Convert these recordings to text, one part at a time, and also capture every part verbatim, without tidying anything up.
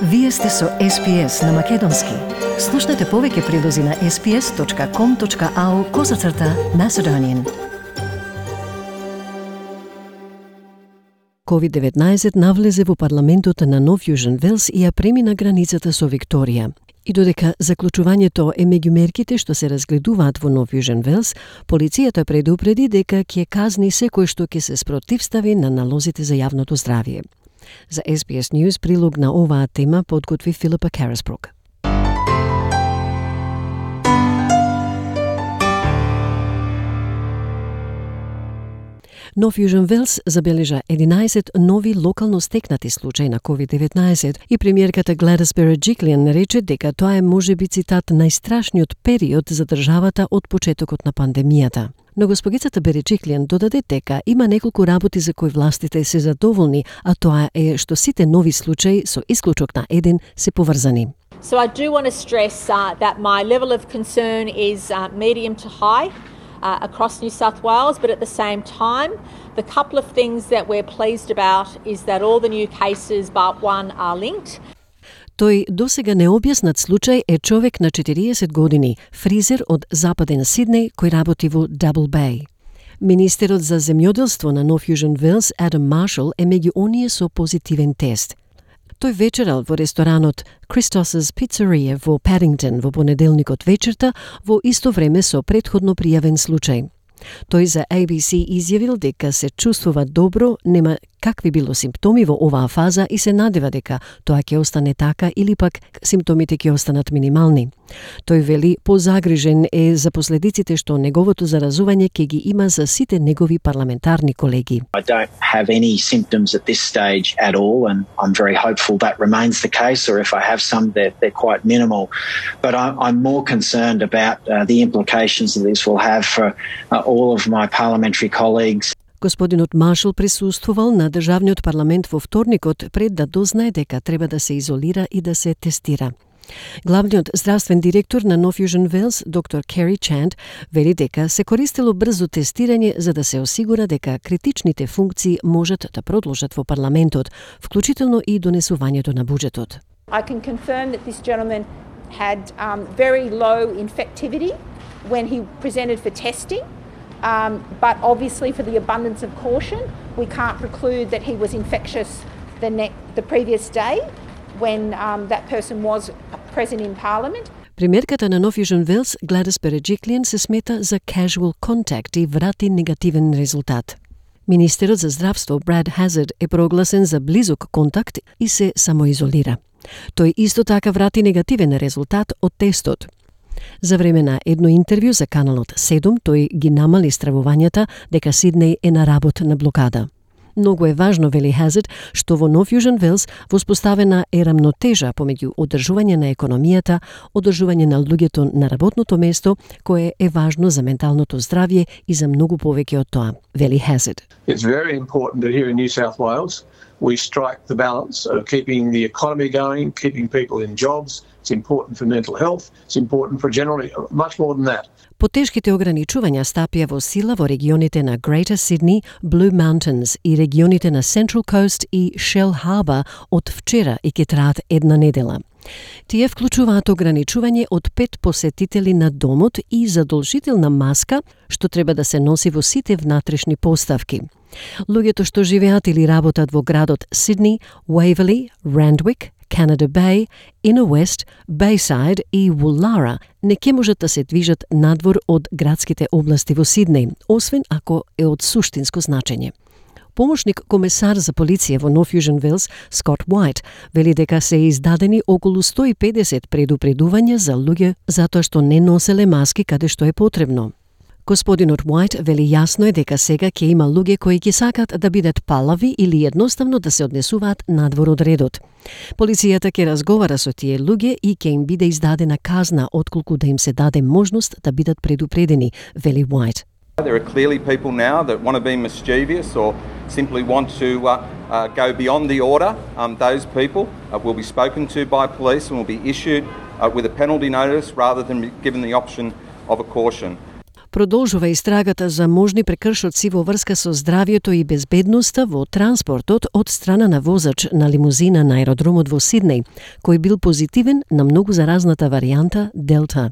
Вие сте со Ес Пи Ес на Македонски. Слушнете повеќе прилози на ес пи ес точка ком точка ау козацрта Macedonian. ковид деветнаесет навлезе во парламентот на Нов Јужен Велс и ја премина границата со Викторија. И додека заклучувањето е меѓу мерките што се разгледуваат во Нов Јужен Велс, полицијата предупреди дека ќе казни секој што ќе се спротивстави на налозите за јавното здравје. За Ес Би Ес News прилог на оваа тема подготви Филипа Карасбрук. Нов Јужен Велс забележа единаесет нови локално стекнати случаи на ковид деветнаесет и премиерката Гледис Береджиклиан рече дека тоа е можеби цитат најстрашниот период за државата од почетокот на пандемијата. Но госпогицата Береджиклиан додаде дека има неколку работи за кои властите се задоволни, а тоа е што сите нови случаи со исклучок на еден се поврзани. So I do want to stress uh, that my level of concern is uh, medium to high. Uh, across New South Wales, but at the same time, the couple of things that we're pleased about is that all the new cases but one are linked. Тој досега необјаснат случај е човек на четириесет години, фризер од западен Сиднеј кој работи во Double Bay. Министерот за земјоделство на Нов Јужен Велс, Адам Маршал, е меѓу оние со позитивен тест. Тој вечерал во ресторанот Christos's Pizzeria во Paddington во понеделникот вечерта во исто време со претходно пријавен случај. Тој за Ей Би Си изјавил дека се чувствува добро, нема какви било симптоми во оваа фаза и се надева дека тоа ќе остане така или пак симптомите ќе останат минимални. Тој вели позагрижен е за последиците што неговото заразување ќе ги има за сите негови парламентарни колеги. I don't have any symptoms at this stage at all, and I'm very hopeful that remains the case, or if I have some, they're, they're quite minimal. But I'm, I'm more concerned about uh, the implications that this will have for uh, all of my parliamentary colleagues. Господинот Маршал присуствувал на државниот парламент во вторникот пред да дознае дека треба да се изолира и да се тестира. Главниот здравствен директор на Нов Јужен Велс, доктор Кери Чанд, вели дека се користело брзо тестирање за да се осигура дека критичните функции можат да продолжат во парламентот, вклучително и донесувањето на буџетот. I can confirm that this gentleman had um, very low infectivity when he presented for testing. Um, but obviously for the abundance of caution, we can't preclude that he was infectious the, ne- the previous day when um, that person was present in Parliament. Премиерката на Нов Јужен Велс, Гледис Береджиклиан, се смета за casual contact и врати негативен резултат. Министерот за здравство Брад Хазард е прогласен за близок контакт и се самоизолира. Тој исто така врати негативен резултат од тестот. За време на едно интервју за каналот седум, тој ги намали стравувањата дека Сиднеј е на работ на блокада. Многу е важно, вели Хазард, што во Нов Јужен Велс воспоставена е рамнотежа помеѓу одржување на економијата, одржување на луѓето на работното место, кое е важно за менталното здравје и за многу повеќе од тоа, вели Хазард. It's very important that here in New South Wales we strike the balance of keeping the economy going, keeping people in jobs. It's important for mental health. It's important for generally much more than that. Потешките ограничувања стапија во сила во регионите на Greater Sydney, Blue Mountains и регионите на Central Coast и Shell Harbour од вчера и ќе траат една недела. Тие вклучуваат ограничување од пет посетители на домот и задолжителна маска, што треба да се носи во сите внатрешни поставки. Луѓето што живеат или работат во градот Сиднеј, Waverley, Randwick, Canada Bay, Inner West, Bayside и Woollahra не ќе можат да се движат надвор од градските области во Сиднеј, освен ако е од суштинско значење. Помошник комесар за полиција во Нов Јужен Велс, Скот Уајт, вели дека се издадени околу сто и педесет предупредувања за луѓе затоа што не носеле маски каде што е потребно. Господинот Уајт вели јасно е дека сега ќе има луѓе кои ќе сакат да бидат палави или едноставно да се однесуваат надвор од редот. Полицијата ќе разговара со тие луѓе и ќе им биде издадена казна отколку да им се даде можност да бидат предупредени, вели Уајт. There are clearly people now that want to be mischievous or simply want to uh, uh, go beyond the order. Um, those people uh, will be spoken to by police and will be issued uh, with a penalty notice rather than given the option of a caution. Продолжува истрагата за можни прекршоци во врска со здравјето и безбедноста во транспортот од страна на возач на лимузина на аеродромот во Сиднеј, кој бил позитивен на многу заразната варијанта Делта.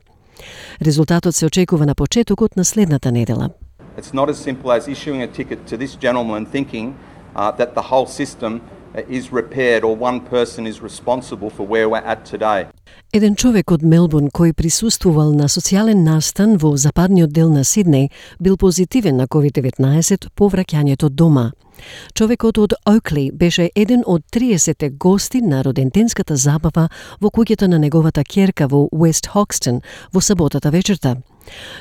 Резултатот се очекува на почетокот на следната недела. It's not as simple as issuing a ticket to this gentleman thinking uh, that the whole system is repaired or one person is responsible for where we're at today. Еден човек од Мелбурн кој присуствувал на социјален настан во западниот дел на Сиднеј бил позитивен на ковид деветнаесет по враќањето дома. Човекот од Оукли беше еден од триесет гости на роденденската забава во куќата на неговата ќерка во Уест Хокстон во саботата вечерта.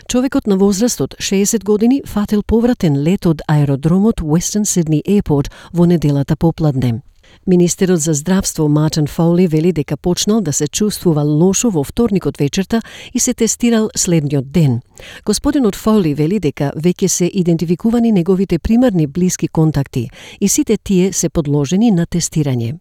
Човекот на возраст од шеесет години фатил повратен лет од аеродромот Western Sydney Airport во неделата попладне. Министерот за здравство Мартин Фоли вели дека почнал да се чувствува лошо во вторникот вечерта и се тестирал следниот ден. Господинот Фоли вели дека веќе се идентификувани неговите примарни блиски контакти и сите тие се подложени на тестирање.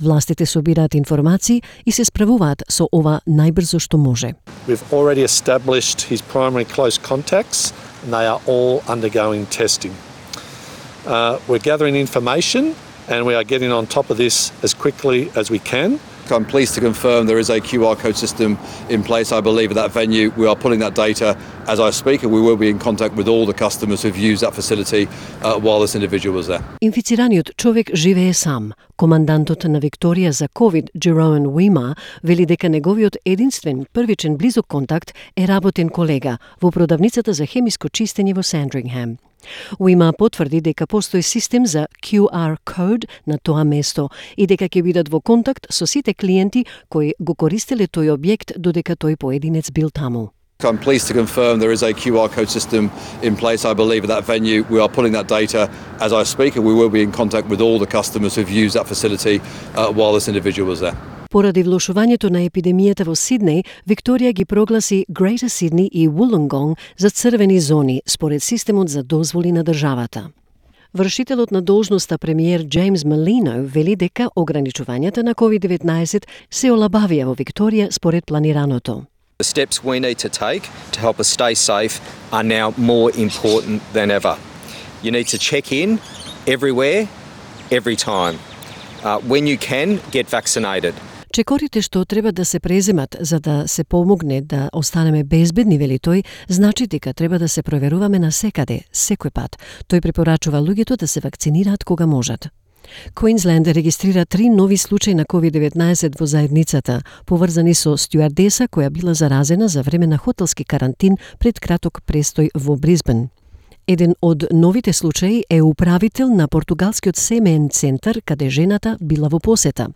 Властите собираат информации и се справуваат со ова најбрзо што може. We've already established his primary close contacts and they are all undergoing testing. Uh, we're gathering information and we are getting on top of this as quickly as we can. I'm pleased to confirm there is a Q R code system in place, I believe, at that venue. We are pulling that data as I speak, and we will be in contact with all the customers who've used that facility uh, while this individual was there. Инфицираниот човек живее сам. Командантот на Викторија за ковид, Джероен Уима, вели дека неговиот единствен првичен близок контакт е работен колега во продавницата за хемиско чистење во Сандрингхем. Уима потврди дека постои систем за Q R code на тоа место и дека ќе бидат во контакт со сите клиенти кои го користеле тој објект додека тој поединец бил таму. I'm pleased to confirm there is a Q R code system in place, I believe, at that venue. We are pulling that data as I speak, and we will be in contact with all the customers who've used that facility uh, while this individual was there. Поради влошувањето на епидемијата во Сиднеј, Викторија ги прогласи Greater Sydney и Wollongong за црвени зони според системот за дозволи на државата. Вршителот на должноста премиер Джеймс Малино вели дека ограничувањата на ковид деветнаесет се олабавија во Викторија според планираното. The steps we need to take to help us stay safe are now more important than ever. You need to check in everywhere, every time. Uh, when you can, get vaccinated. Чекорите што треба да се преземат за да се помогне да останеме безбедни, вели тој, значи дека треба да се проверуваме на секаде, секој пат. Тој препорачува луѓето да се вакцинираат кога можат. Квинсленд регистрира три нови случаи на ковид деветнаесет во заедницата, поврзани со стюардеса која била заразена за време на хотелски карантин пред краток престој во Брисбен. Еден од новите случаи е управител на португалскиот семеен центар каде жената била во посета.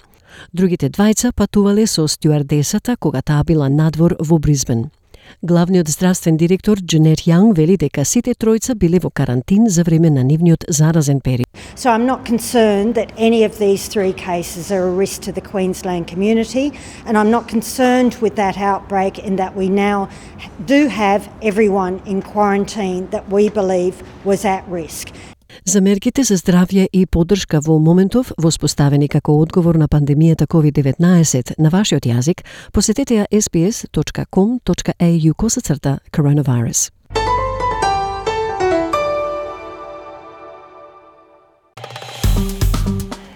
Другите двајца патувале со стюардесата кога таа била надвор во Брисбен. Главниот здравствен директор Дженет Јанг вели дека сите тројца биле во карантин за време на нивниот заразен период. So I'm not concerned that any of these three cases are a risk to the Queensland community, and I'm not concerned with that outbreak in that we now do have everyone in quarantine that we believe was at risk. За мерките за здравје и поддршка во моментов воспоставени како одговор на пандемијата ковид деветнаесет на вашиот јазик, посетете ја ес би ес точка ком точка ей ю косацрта коронавирус.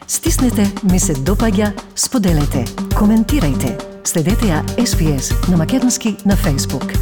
Стиснете, ми се допаѓа, споделете, коментирајте. Следете ја ес би ес на македонски на Facebook.